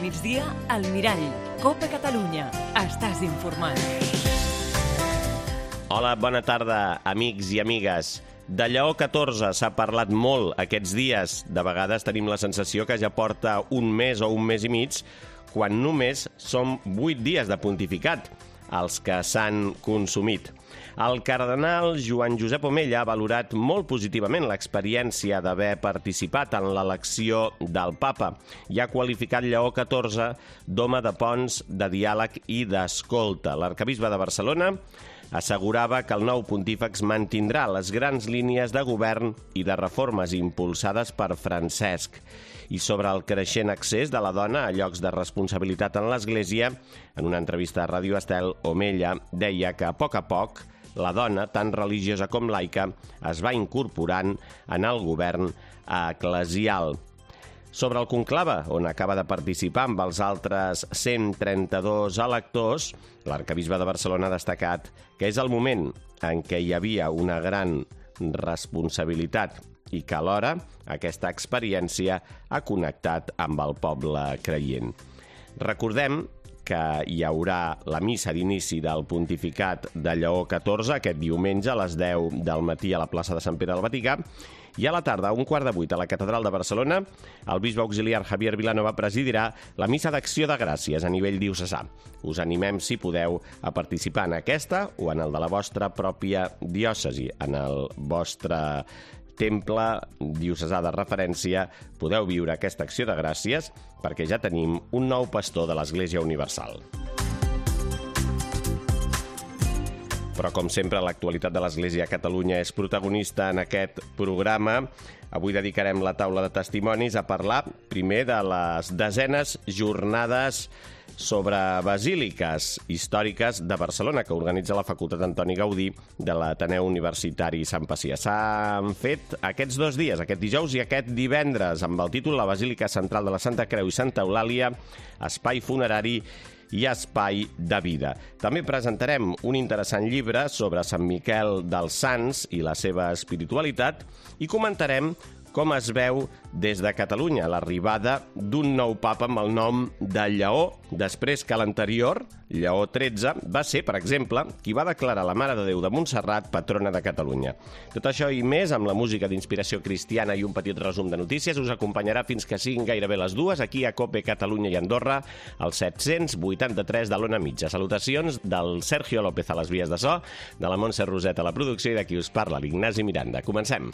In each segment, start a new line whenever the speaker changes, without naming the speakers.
migdia, al Mirall. Copa Catalunya. Estàs informat.
Hola, bona tarda, amics i amigues. De Lleó XIV s'ha parlat molt aquests dies. De vegades tenim la sensació que ja porta un mes o un mes i mig, quan només són 8 dies de pontificat, els que s'han consumit. El cardenal Joan Josep Omella ha valorat molt positivament l'experiència d'haver participat en l'elecció del papa i ha qualificat Lleó XIV d'home de ponts, de diàleg i d'escolta. L'arquebisbe de Barcelona assegurava que el nou pontífex mantindrà les grans línies de govern i de reformes impulsades per Francesc. I sobre el creixent accés de la dona a llocs de responsabilitat en l'Església, en una entrevista a Ràdio Estel, Omella deia que a poc la dona, tant religiosa com laica, es va incorporant en el govern eclesial. Sobre el conclave, on acaba de participar amb els altres 132 electors, l'arquebisbe de Barcelona ha destacat que és el moment en què hi havia una gran responsabilitat i que alhora aquesta experiència ha connectat amb el poble creient. Recordem que hi haurà la missa d'inici del pontificat de Lleó XIV aquest diumenge a les 10 del matí a la plaça de Sant Pere del Vaticà, i a la tarda, a 7:15, a la Catedral de Barcelona, el bisbe auxiliar Javier Vilanova presidirà la missa d'acció de gràcies a nivell diocesà. Us animem, si podeu, a participar en aquesta o en el de la vostra pròpia diòcesi, en el vostre temple diocesà de referència. Podeu viure aquesta acció de gràcies perquè ja tenim un nou pastor de l'Església Universal. Però, com sempre, l'actualitat de l'Església a Catalunya és protagonista en aquest programa. Avui dedicarem la taula de testimonis a parlar primer de les 10enes jornades sobre basíliques històriques de Barcelona, que organitza la Facultat Antoni Gaudí de l'Ateneu Universitari Sant Pacià. S'han fet aquests 2 dies, aquest dijous i aquest divendres, amb el títol La Basílica Central de la Santa Creu i Santa Eulàlia, espai funerari i espai de vida. També presentarem un interessant llibre sobre Sant Miquel dels Sants i la seva espiritualitat i comentarem com es veu des de Catalunya l'arribada d'un nou papa amb el nom de Lleó, després que l'anterior, Lleó XIII, va ser, per exemple, qui va declarar la Mare de Déu de Montserrat patrona de Catalunya. Tot això i més, amb la música d'inspiració cristiana i un petit resum de notícies, us acompanyarà fins que siguin gairebé les 2 aquí a Cope Catalunya i Andorra, al 783 de l'Ona Mitja. Salutacions del Sergio López a les vies de so, de la Montse Roset a la producció i de qui us parla, l'Ignasi Miranda. Comencem.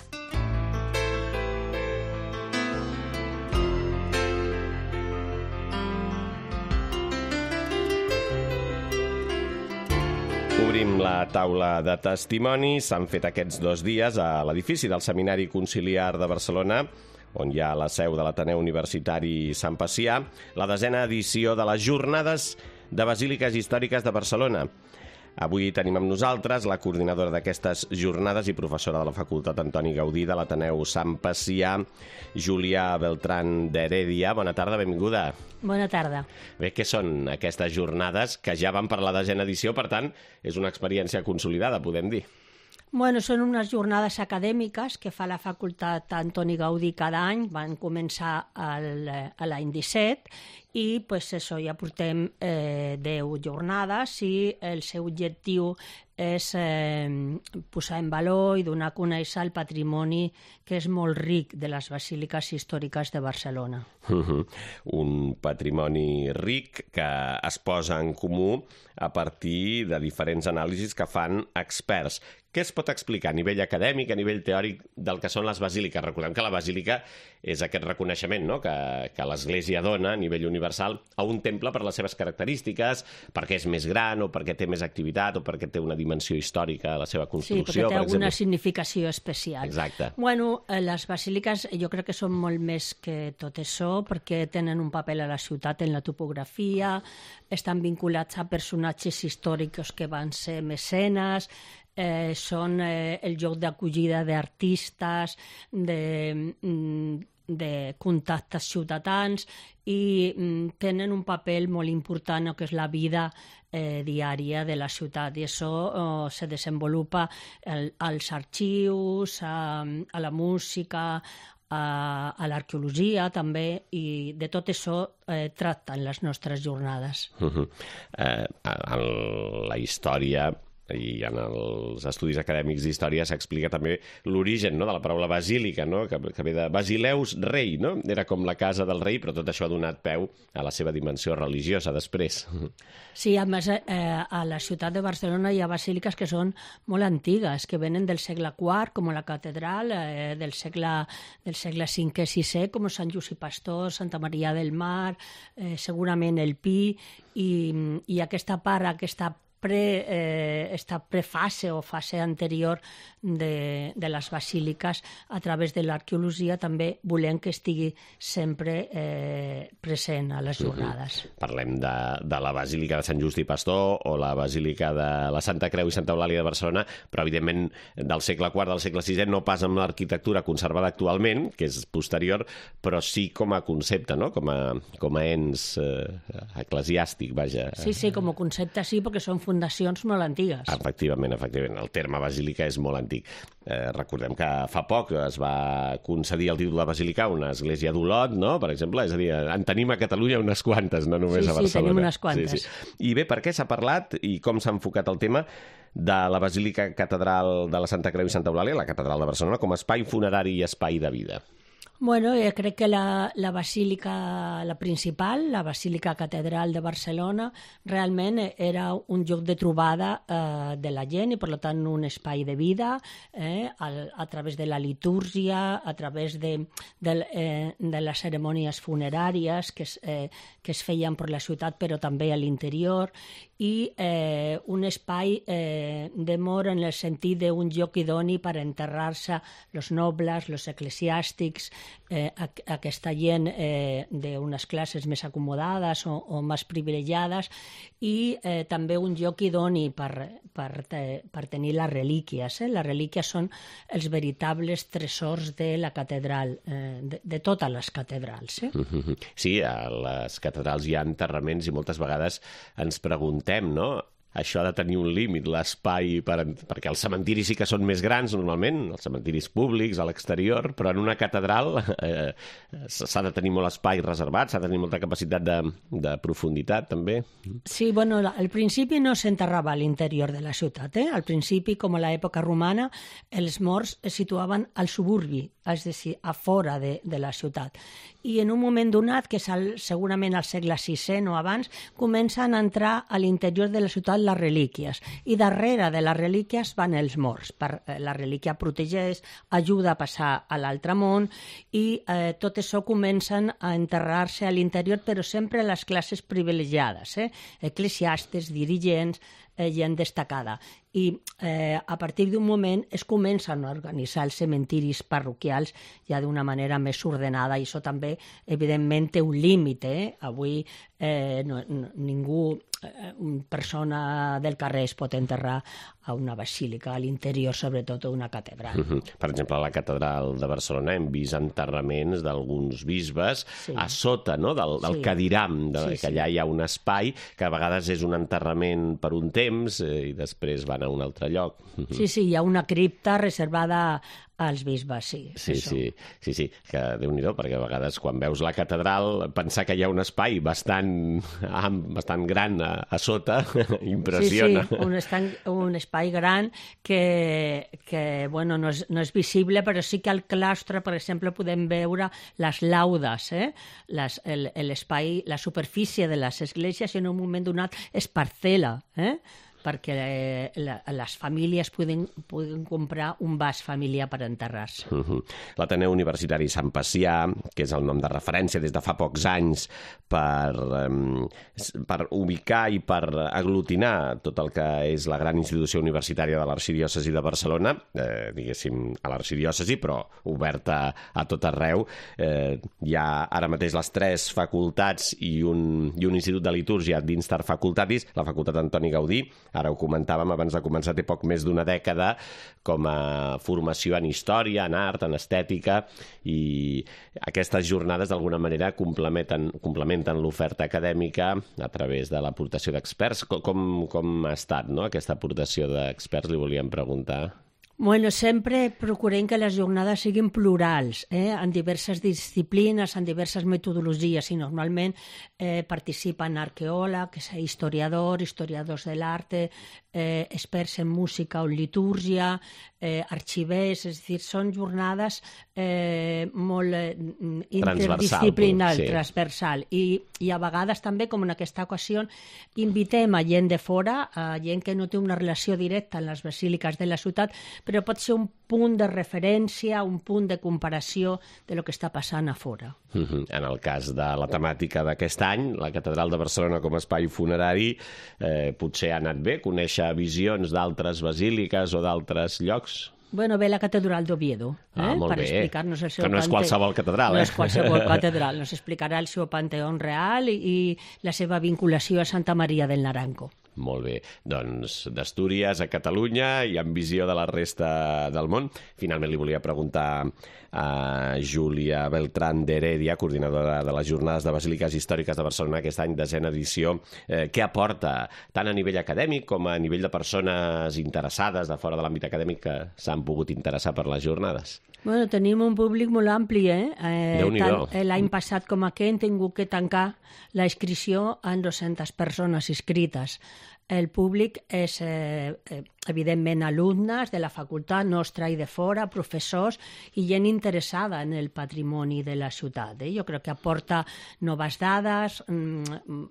Obrim la taula de testimonis. S'han fet aquests 2 dies a l'edifici del Seminari Conciliar de Barcelona, on hi ha la seu de l'Ateneu Universitari Sant Pacià, la 10a edició de les Jornades de Basíliques Històriques de Barcelona. Avui tenim amb nosaltres la coordinadora d'aquestes jornades i professora de la Facultat Antoni Gaudí de l'Ateneu Sant Pacià, Júlia Beltrán d'Heredia. Bona tarda, benvinguda.
Bona tarda.
Bé, què són aquestes jornades que ja van per la 10a edició, per tant, és una experiència consolidada, podem dir?
Bueno, són unes jornades acadèmiques que fa la Facultat Antoni Gaudí cada any. Van començar l'any 17 i pues, això, ja portem 10 jornades i el seu objectiu és posar en valor i donar a conèixer el patrimoni que és molt ric de les basíliques històriques de Barcelona.
Un patrimoni ric que es posa en comú a partir de diferents anàlisis que fan experts. Què es pot explicar a nivell acadèmic, a nivell teòric, del que són les basíliques? Recordem que la basílica és aquest reconeixement, no?, que l'Església dona a nivell universal a un temple per les seves característiques, perquè és més gran o perquè té més activitat o perquè té una dimensió històrica a la seva construcció.
Sí, perquè té alguna significació especial.
Exacte.
Bueno, les basíliques jo crec que són molt més que tot això, perquè tenen un paper a la ciutat en la topografia, estan vinculats a personatges històrics que van ser mecenes, són el lloc d'acollida d'artistes, de contactes ciutadans i tenen un paper molt important en el que és la vida diària de la ciutat, i això se desenvolupa als arxius, a la música, a l'arqueologia també, i de tot això tracten les nostres jornades.
En la història i en els estudis acadèmics d'història s'explica també l'origen, no?, de la paraula basílica, no?, que ve de Basileus rei, no? Era com la casa del rei, però tot això ha donat peu a la seva dimensió religiosa després.
Sí, a més, a la ciutat de Barcelona hi ha basíliques que són molt antigues, que venen del segle IV, com la catedral, del segle V-VI, com Sant Just i Pastor, Santa Maria del Mar, segurament el Pi, i aquesta part, aquesta prefase o fase anterior de les basíliques, a través de l'arqueologia també volem que estigui sempre present a les jornades.
Parlem de la Basílica de Sant Just i Pastor o la Basílica de la Santa Creu i Santa Eulàlia de Barcelona, però evidentment del segle IV, del segle VI, no pas amb l'arquitectura conservada actualment, que és posterior, però sí com a concepte, no?, com a ens eclesiàstic, vaja.
Sí, com a concepte sí, perquè són fundacions molt antigues.
Efectivament. El terme basílica és molt antic. Recordem que fa poc es va concedir el títol de basílica a una església d'Olot, no?, per exemple, és a dir, en tenim a Catalunya unes quantes, no només a Barcelona.
Sí, tenim unes quantes.
I bé, per què s'ha parlat i com s'ha enfocat el tema de la Basílica Catedral de la Santa Creu i Santa Eulàlia, la Catedral de Barcelona, com a espai funerari i espai de vida?
Bueno, crec que la basílica, la principal, la Basílica Catedral de Barcelona, realment era un lloc de trobada de la gent i, per tant, un espai de vida a través de la litúrgia, a través de les cerimònies funeràries que es feien per la ciutat, però també a l'interior, i un espai d'amor en el sentit d'un lloc idoni per enterrar-se els nobles, els eclesiàstics, aquesta gent d'unes classes més acomodades o més privilegiades, i també un lloc idoni per tenir les relíquies. Les relíquies són els veritables tresors de la catedral, de totes les catedrals.
Sí, a les catedrals hi ha enterraments i moltes vegades ens preguntem, no?, això ha de tenir un límit, l'espai, perquè els cementiris sí que són més grans normalment, els cementiris públics, a l'exterior, però en una catedral s'ha de tenir molt espai reservat, s'ha de tenir molta capacitat de profunditat, també.
Sí, bueno, al principi no s'enterrava a l'interior de la ciutat. Al principi, com a l'època romana, els morts es situaven al suburbi, és a dir, a fora de la ciutat. I en un moment donat, que és segurament al segle VI o abans, comencen a entrar a l'interior de la ciutat les relíquies, i darrere de les relíquies van els morts. La relíquia protegeix, ajuda a passar a l'altre món, i tot això comencen a enterrar-se a l'interior, però sempre les classes privilegiades, eclesiàstics, dirigents, gent destacada. I a partir d'un moment es comencen a organitzar els cementiris parroquials ja d'una manera més ordenada, i això també, evidentment, té un límit. Avui ningú, persona del carrer, es pot enterrar a una basílica, a l'interior, sobretot d'una catedral.
Per exemple, a la catedral de Barcelona hem vist enterraments d'alguns bisbes a sota, no?, del cadiram, que allà hi ha un espai que a vegades és un enterrament per un temps i després van a un altre lloc.
Sí, hi ha una cripta reservada als bisbes, sí.
Sí, que Déu-n'hi-do, perquè a vegades quan veus la catedral, pensar que hi ha un espai bastant gran a sota impressiona.
Sí, un espai gran que bueno, no és visible, però sí que al claustre, per exemple, podem veure les laudes, l'espai, la superfície de les esglésies, en un moment donat es parcel·la, perquè les famílies poden comprar un vas familiar per enterrar-se.
L'Ateneu Universitari Sant Pacià, que és el nom de referència des de fa pocs anys per ubicar i per aglutinar tot el que és la gran institució universitària de l'Arxidiòcesi de Barcelona, diguéssim, a l'Arxidiòcesi, però oberta a tot arreu. Hi ha ara mateix les 3 facultats i un institut de litúrgia d'Instar Facultatis, la Facultat Antoni Gaudí. Ara ho comentàvem abans de començar, té poc més d'una dècada com a formació en història, en art, en estètica, i aquestes jornades d'alguna manera complementen l'oferta acadèmica a través de l'aportació d'experts. Com ha estat, no?, aquesta aportació d'experts, li volíem preguntar?
Bueno, sempre procurem que les jornades siguin plurals, en diverses disciplines, en diverses metodologies, i normalment participen arqueòlegs, historiadors de l'art, experts en música o litúrgia, arxivers, és a dir, són jornades molt interdisciplinars, transversal, i a vegades també, com en aquesta ocasió, invitem a gent de fora, a gent que no té una relació directa amb les basíliques de la ciutat, però pot ser un punt de referència, un punt de comparació de lo que està passant a fora.
En el cas de la temàtica d'aquest any, la Catedral de Barcelona com a espai funerari, potser ha anat bé conèixer visions d'altres basíliques o d'altres llocs?
Bueno, ve la Catedral d'Oviedo,
molt
per
bé.
explicar-nos el seu
que no és qualsevol catedral,
No és qualsevol catedral, nos explicarà el seu panteó real i la seva vinculació a Santa Maria del Naranco.
Molt bé. Doncs d'Astúries a Catalunya i amb visió de la resta del món. Finalment li volia preguntar a Júlia Beltrán de Heredia, coordinadora de les Jornades de Basíliques Històriques de Barcelona, aquest any, 10ª edició, què aporta tant a nivell acadèmic com a nivell de persones interessades de fora de l'àmbit acadèmic que s'han pogut interessar per les jornades?
Bueno, tenim un públic molt ampli,
Déu-n'hi-do.
L'any passat com aquest hem tingut que tancar la inscripció amb 200 persones inscrites. El públic és, evidentment, alumnes de la facultat nostra i de fora, professors i gent interessada en el patrimoni de la ciutat. Jo crec que aporta noves dades,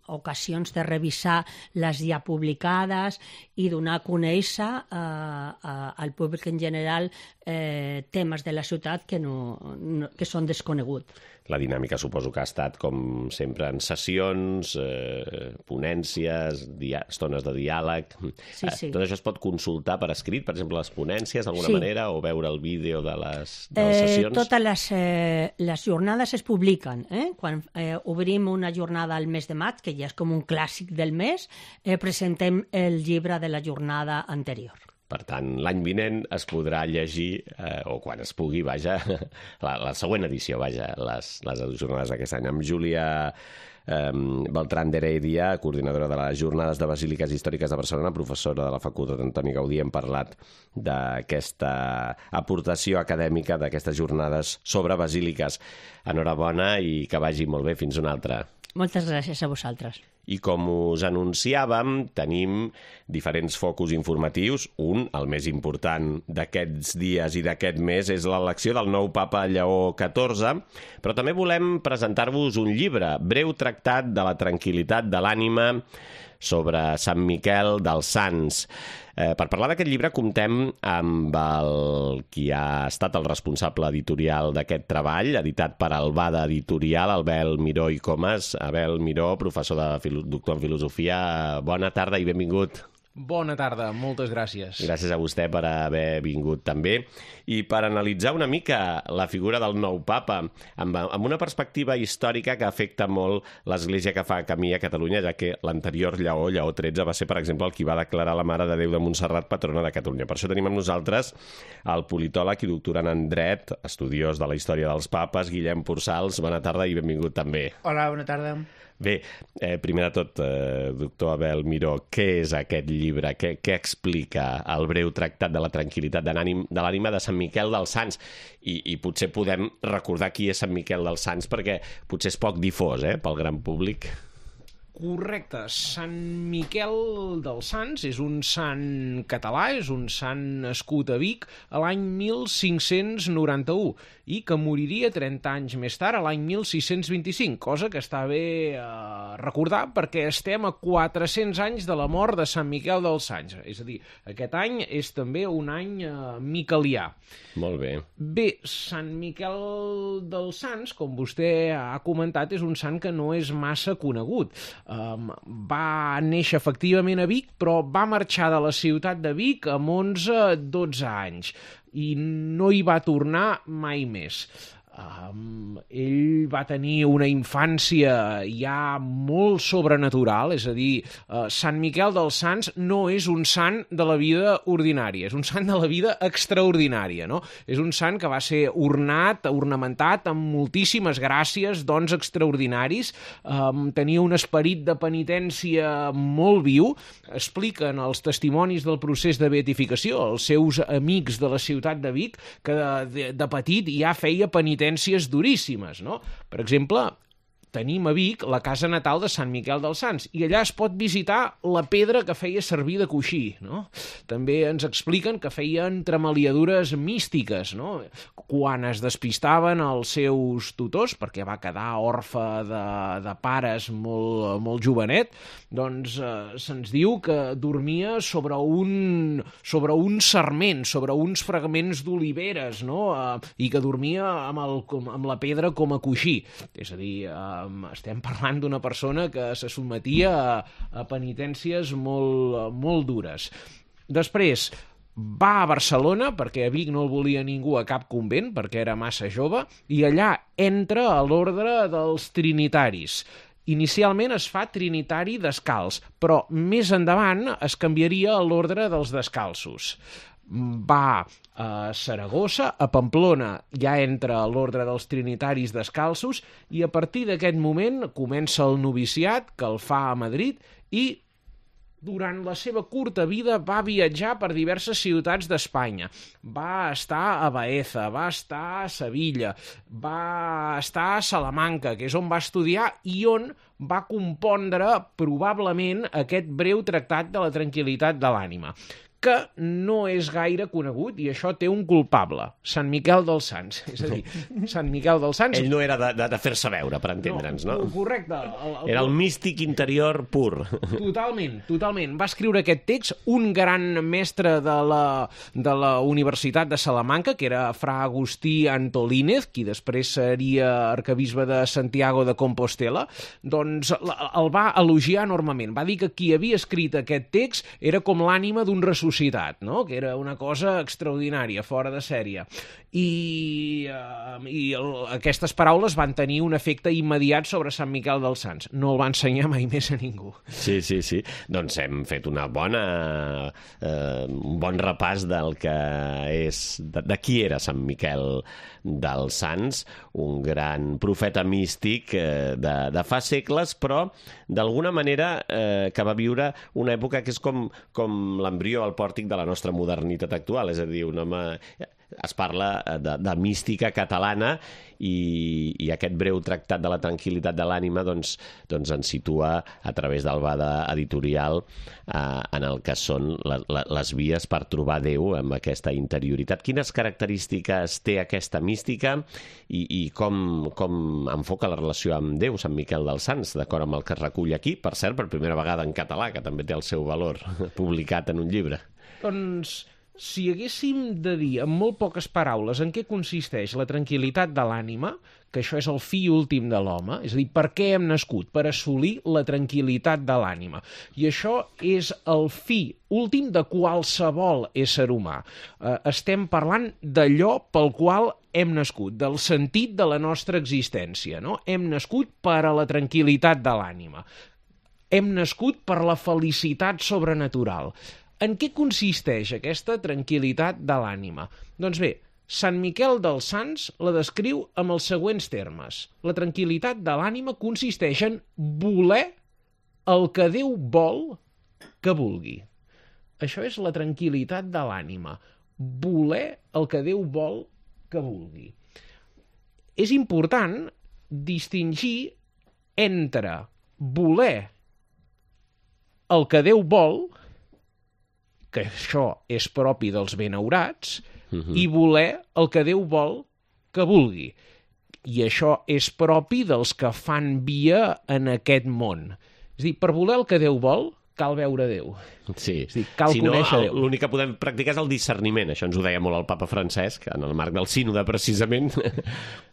ocasions de revisar les ja publicades i donar a conèixer al públic en general temes de la ciutat que són desconeguts.
La dinàmica suposo que ha estat, com sempre, en sessions, ponències, estones de diàleg.
Sí.
Tot això es pot consultar per escrit, per exemple, les ponències, d'alguna manera, o veure el vídeo de les sessions?
Totes les jornades es publiquen. Quan obrim una jornada al mes de maig, que ja és com un clàssic del mes, presentem el llibre de la jornada anterior.
Per tant, l'any vinent es podrà llegir, o quan es pugui, vaja, la següent edició, vaja, les jornades d'aquest any. Amb Júlia Beltrán de Heredia, coordinadora de les Jornades de Basíliques Històriques de Barcelona, professora de la Facultat Antoni Gaudí, hem parlat d'aquesta aportació acadèmica d'aquestes jornades sobre basíliques. Enhorabona i que vagi molt bé. Fins una altra.
Moltes gràcies a vosaltres.
I com us anunciàvem, tenim diferents focus informatius. Un, el més important d'aquests dies i d'aquest mes, és l'elecció del nou papa Lleó XIV, però també volem presentar-vos un llibre, Breu tractat de la tranquil·litat de l'ànima sobre Sant Miquel dels Sants. Per parlar d'aquest llibre comptem amb qui ha estat el responsable editorial d'aquest treball, editat per Albada Editorial, Abel Miró i Comas. Abel Miró, professor doctor en filosofia, bona tarda i benvingut.
Bona tarda, moltes gràcies.
Gràcies a vostè per haver vingut també. I per analitzar una mica la figura del nou papa, amb una perspectiva històrica que afecta molt l'Església que fa camí a Catalunya, ja que l'anterior Lleó XIII, va ser, per exemple, el qui va declarar la Mare de Déu de Montserrat patrona de Catalunya. Per això tenim amb nosaltres el politòleg i doctorant en dret, estudiós de la història dels papes, Guillem Pursals. Bona tarda i benvingut també.
Hola, bona tarda.
Bé, primer de tot, doctor Abel Miró, què és aquest llibre? Què explica el breu tractat de la tranquil·litat de l'ànima de Sant Miquel dels Sants? I potser podem recordar qui és Sant Miquel dels Sants, perquè potser és poc difós pel gran públic.
Correcte. Sant Miquel dels Sants és un sant català, és un sant nascut a Vic a l'any 1591 i que moriria 30 anys més tard, a l'any 1625, cosa que està bé recordar perquè estem a 400 anys de la mort de Sant Miquel dels Sants. És a dir, aquest any és també un any miquelià.
Molt bé.
Bé, Sant Miquel dels Sants, com vostè ha comentat, és un sant que no és massa conegut. Va néixer efectivament a Vic, però va marxar de la ciutat de Vic amb 11-12 anys i no hi va tornar mai més. Ell va tenir una infància ja molt sobrenatural, és a dir, Sant Miquel dels Sants no és un sant de la vida ordinària, és un sant de la vida extraordinària, no? És un sant que va ser ornamentat amb moltíssimes gràcies, dons extraordinaris, tenia un esperit de penitència molt viu. Expliquen els testimonis del procés de beatificació, els seus amics de la ciutat de Vic, que de petit ja feia penitències duríssimes, no? Per exemple, tenim a Vic la casa natal de Sant Miquel dels Sants i allà es pot visitar la pedra que feia servir de coixí, no? També ens expliquen que feia entremaliadures místiques, no? Quan es despistaven els seus tutors, perquè va quedar orfe de pares molt jovenet, doncs se'ns diu que dormia sobre un sarment, sobre uns fragments d'oliveres, no? I que dormia amb la pedra com a coixí. És a dir, estem parlant d'una persona que se sotmetia a penitències molt dures. Després va a Barcelona, perquè a Vic no el volia ningú a cap convent, perquè era massa jove, i allà entra a l'ordre dels trinitaris. Inicialment es fa trinitari descalç, però més endavant es canviaria a l'ordre dels descalços. Va a Saragossa, a Pamplona ja entra a l'ordre dels trinitaris descalços i a partir d'aquest moment comença el noviciat, que el fa a Madrid, i durant la seva curta vida va viatjar per diverses ciutats d'Espanya. Va estar a Baeza, va estar a Sevilla, va estar a Salamanca, que és on va estudiar i on va compondre probablement aquest breu tractat de la tranquil·litat de l'ànima, que no és gaire conegut i això té un culpable, Sant Miquel dels Sants. És a dir, Sant Miquel dels Sants...
Ell no era de fer-se veure, per entendre'ns, no?
Correcte.
Era el místic interior pur.
Totalment. Va escriure aquest text un gran mestre de la Universitat de Salamanca, que era fra Agustí Antolínez, qui després seria arquebisbe de Santiago de Compostela, doncs el va elogiar enormement. Va dir que qui havia escrit aquest text era com l'ànima d'un ressuscitat, no? Que era una cosa extraordinària, fora de sèrie. I aquestes paraules van tenir un efecte immediat sobre Sant Miquel dels Sants. No el va ensenyar mai més a ningú.
Sí. Doncs hem fet un bon repàs del que és, de qui era Sant Miquel dels Sants, un gran profeta místic de fa segles, però d'alguna manera que va viure una època que és com l'embrió al pòrtic de la nostra modernitat actual, és a dir, un home... Es parla de mística catalana i aquest breu tractat de la tranquil·litat de l'ànima doncs ens situa a través del Bada editorial en el que són les vies per trobar Déu amb aquesta interioritat. Quines característiques té aquesta mística i com enfoca la relació amb Déu, Sant Miquel dels Sants, d'acord amb el que es recull aquí, per cert, per primera vegada en català, que també té el seu valor, publicat en un llibre?
Doncs... si haguéssim de dir en molt poques paraules en què consisteix la tranquil·litat de l'ànima, que això és el fi últim de l'home, és a dir, per què hem nascut? Per assolir la tranquil·litat de l'ànima. I això és el fi últim de qualsevol ésser humà. Estem parlant d'allò pel qual hem nascut, del sentit de la nostra existència, no? Hem nascut per a la tranquil·litat de l'ànima. Hem nascut per la felicitat sobrenatural. En què consisteix aquesta tranquil·litat de l'ànima? Doncs bé, Sant Miquel dels Sants la descriu amb els següents termes. La tranquil·litat de l'ànima consisteix en voler el que Déu vol que vulgui. Això és la tranquil·litat de l'ànima. Voler el que Déu vol que vulgui. És important distingir entre voler el que Déu vol, que això és propi dels benaurats, i voler el que Déu vol que vulgui. I això és propi dels que fan via en aquest món. És a dir, per voler el que Déu vol, cal veure Déu.
Sí.
És a dir, cal conèixer Déu.
L'únic que podem practicar és el discerniment. Això ens ho deia molt el papa Francesc, en el marc del sínode, precisament.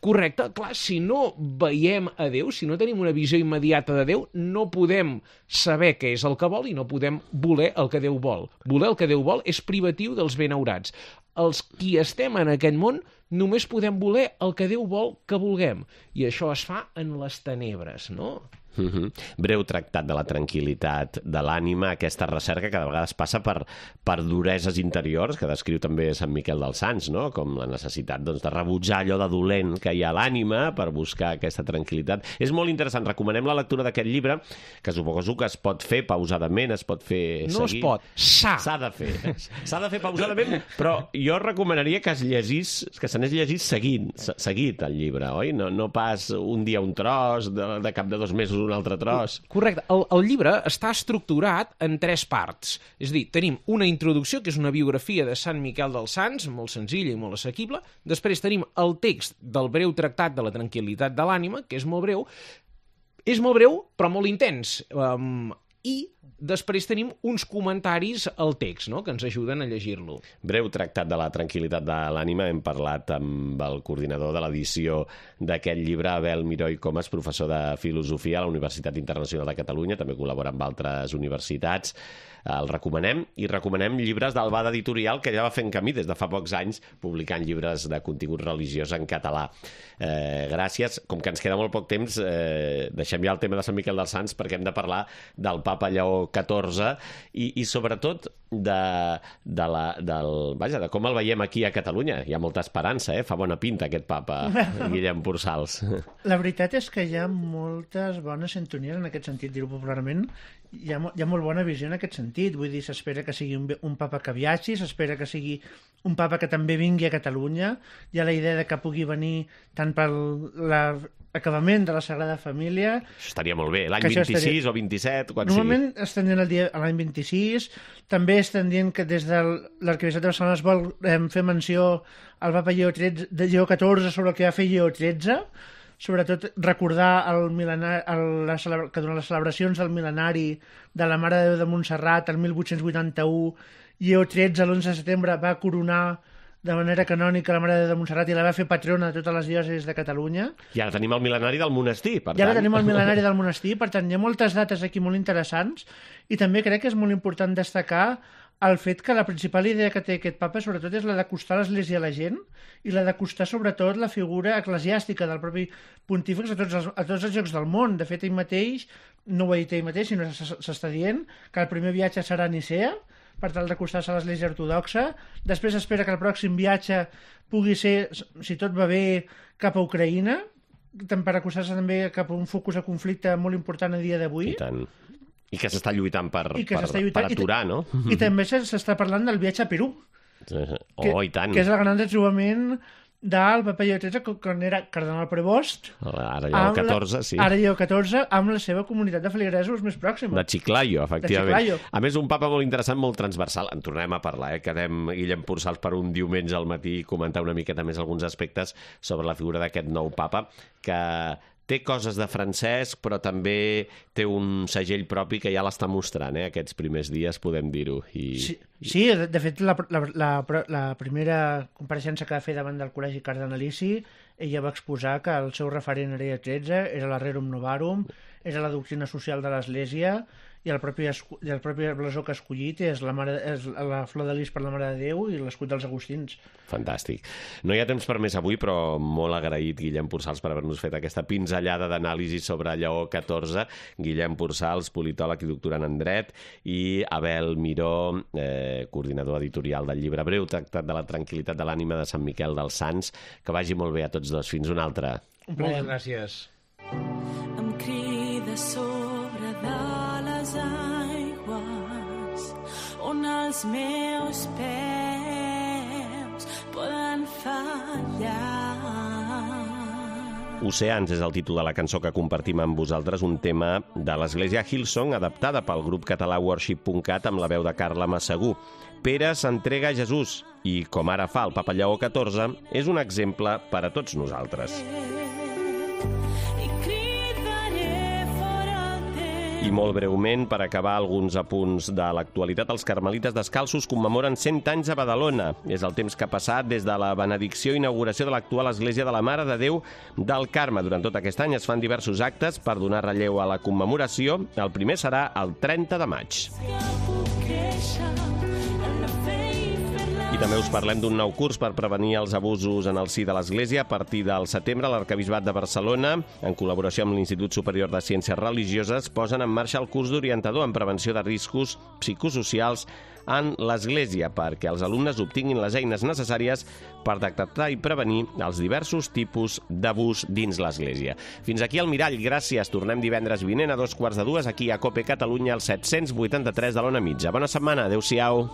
Correcte. Clar, si no veiem a Déu, si no tenim una visió immediata de Déu, no podem saber què és el que vol i no podem voler el que Déu vol. Voler el que Déu vol és privatiu dels benaurats. Els qui estem en aquest món només podem voler el que Déu vol que vulguem. I això es fa en les tenebres, no?
Breu tractat de la tranquil·litat de l'ànima, aquesta recerca que de vegades passa per dureses interiors, que descriu també Sant Miquel dels Sants, no? Com la necessitat de rebutjar allò de dolent que hi ha a l'ànima per buscar aquesta tranquil·litat. És molt interessant, recomanem la lectura d'aquest llibre, que suposo que es pot fer pausadament, es pot fer
no
seguir.
Es pot, s'ha
de fer. S'ha de fer pausadament, però jo recomanaria que se n'és llegit seguit el llibre, oi? No pas un dia un tros, de cap de 2 mesos un altre tros.
Correcte. El llibre està estructurat en 3 parts. És a dir, tenim una introducció, que és una biografia de Sant Miquel dels Sants, molt senzilla i molt assequible. Després tenim el text del breu tractat de la tranquil·litat de l'ànima, que és molt breu. És molt breu, però molt intens. I després tenim uns comentaris al text, no?, que ens ajuden a llegir-lo.
Breu tractat de la tranquil·litat de l'ànima. Hem parlat amb el coordinador de l'edició d'aquest llibre, Abel Miró i Comas, professor de Filosofia a la Universitat Internacional de Catalunya, també col·labora amb altres universitats. El recomanem, i recomanem llibres d'Albada Editorial, que ja va fent camí des de fa pocs anys, publicant llibres de contingut religiós en català. Gràcies. Com que ens queda molt poc temps, deixem ja el tema de Sant Miquel dels Sants, perquè hem de parlar del papa Lleó XIV i sobretot de com el veiem aquí a Catalunya. Hi ha molta esperança, fa bona pinta aquest papa, Guillem Pursals.
La veritat és que hi ha moltes bones sintonies en aquest sentit, dir-ho popularment. Hi ha molt bona visió en aquest sentit. Vull dir, s'espera que sigui un papa que viatgi, s'espera que sigui un papa que també vingui a Catalunya. Hi ha la idea de que pugui venir tant per l'acabament de la Sagrada Família...
Això estaria molt bé, l'any 26 o 27, quan sigui.
Normalment estan dient l'any 26, també estan dient que des de l'Arquebisbat de Barcelona es vol fer menció al papa Lleó XIV sobre el que va fer Lleó XIII, sobretot recordar que durant les celebracions del mil·lenari de la Mare de Déu de Montserrat, el 1881, Lleó XIII, l'11 de setembre, va coronar de manera canònica la Mare de Déu de Montserrat i la va fer patrona de totes les diòcesis de Catalunya.
I ara tenim el mil·lenari del monestir, per tant.
I ara tenim el mil·lenari del monestir, per tant, hi ha moltes dates aquí molt interessants, i també crec que és molt important destacar el fet que la principal idea que té aquest papa sobretot és la d'acostar l'Església a la gent i la d'acostar sobretot la figura eclesiàstica del propi pontífex a tots els llocs del món. De fet, ell mateix, no ho ha dit ell mateix, sinó s'està dient que el primer viatge serà a Nicea, per tal d'acostar-se a l'Església ortodoxa. Després espera que el pròxim viatge pugui ser, si tot va bé, cap a Ucraïna, per acostar-se també cap a un focus de conflicte molt important a dia d'avui.
I tant. I que s'està lluitant per aturar, no?
I també s'està parlant del viatge a Perú.
I tant.
Que és el gran retrobament del papa Lleó XIII, quan era cardenal Prevost.
Ara Lleó XIV, sí.
Ara Lleó XIV, amb la seva comunitat de feligresos més pròxima.
De Chiclayo, efectivament. A més, un papa molt interessant, molt transversal. En tornem a parlar, Quedem Guillem Pursals per un diumenge al matí i comentar una miqueta més alguns aspectes sobre la figura d'aquest nou papa, que té coses de Francesc, però també té un segell propi que ja l'està mostrant, aquests primers dies, podem dir-ho.
Sí, de fet, la primera compareixença que va fer davant del Col·legi Cardenalici, ella va exposar que el seu referent era Lleó XIII, era la Rerum Novarum, era la doctrina social de l'Església, i el propi blasó que ha escollit és la flor de lis per la Mare de Déu i l'escut dels agustins.
Fantàstic. No hi ha temps per més avui, però molt agraït, Guillem Pursals, per haver-nos fet aquesta pinzellada d'anàlisi sobre Lleó XIV. Guillem Pursals, politòleg i doctorant en dret, i Abel Miró, coordinador editorial del llibre Breu tractat de la tranquil·litat de l'ànima de Sant Miquel dels Sants. Que vagi molt bé a tots dos. Fins una altra.
Moltes gràcies.
Em crida sobre de les aigües on els meus peus poden fallar.
Oceans és el títol de la cançó que compartim amb vosaltres, un tema de l'església Hillsong, adaptada pel grup català Worship.cat amb la veu de Carla Massagú. Pere s'entrega a Jesús i, com ara fa el papa Lleó XIV, és un exemple per a tots nosaltres.
I cridaré fora el temps
I molt breument, per acabar alguns apunts de l'actualitat, els carmelites descalços commemoren 100 anys a Badalona. És el temps que ha passat des de la benedicció i inauguració de l'actual Església de la Mare de Déu del Carme. Durant tot aquest any es fan diversos actes per donar relleu a la commemoració. El primer serà el 30 de maig. I també us parlem d'un nou curs per prevenir els abusos en el si de l'Església. A partir del setembre, l'Arquebisbat de Barcelona, en col·laboració amb l'Institut Superior de Ciències Religioses, posen en marxa el curs d'orientador en prevenció de riscos psicosocials en l'Església, perquè els alumnes obtinguin les eines necessàries per detectar i prevenir els diversos tipus d'abús dins l'Església. Fins aquí el Mirall, gràcies. Tornem divendres vinent a 2:45 aquí a COPE Catalunya, al 783 de l'Ona Mitja. Bona setmana, adeu-siau.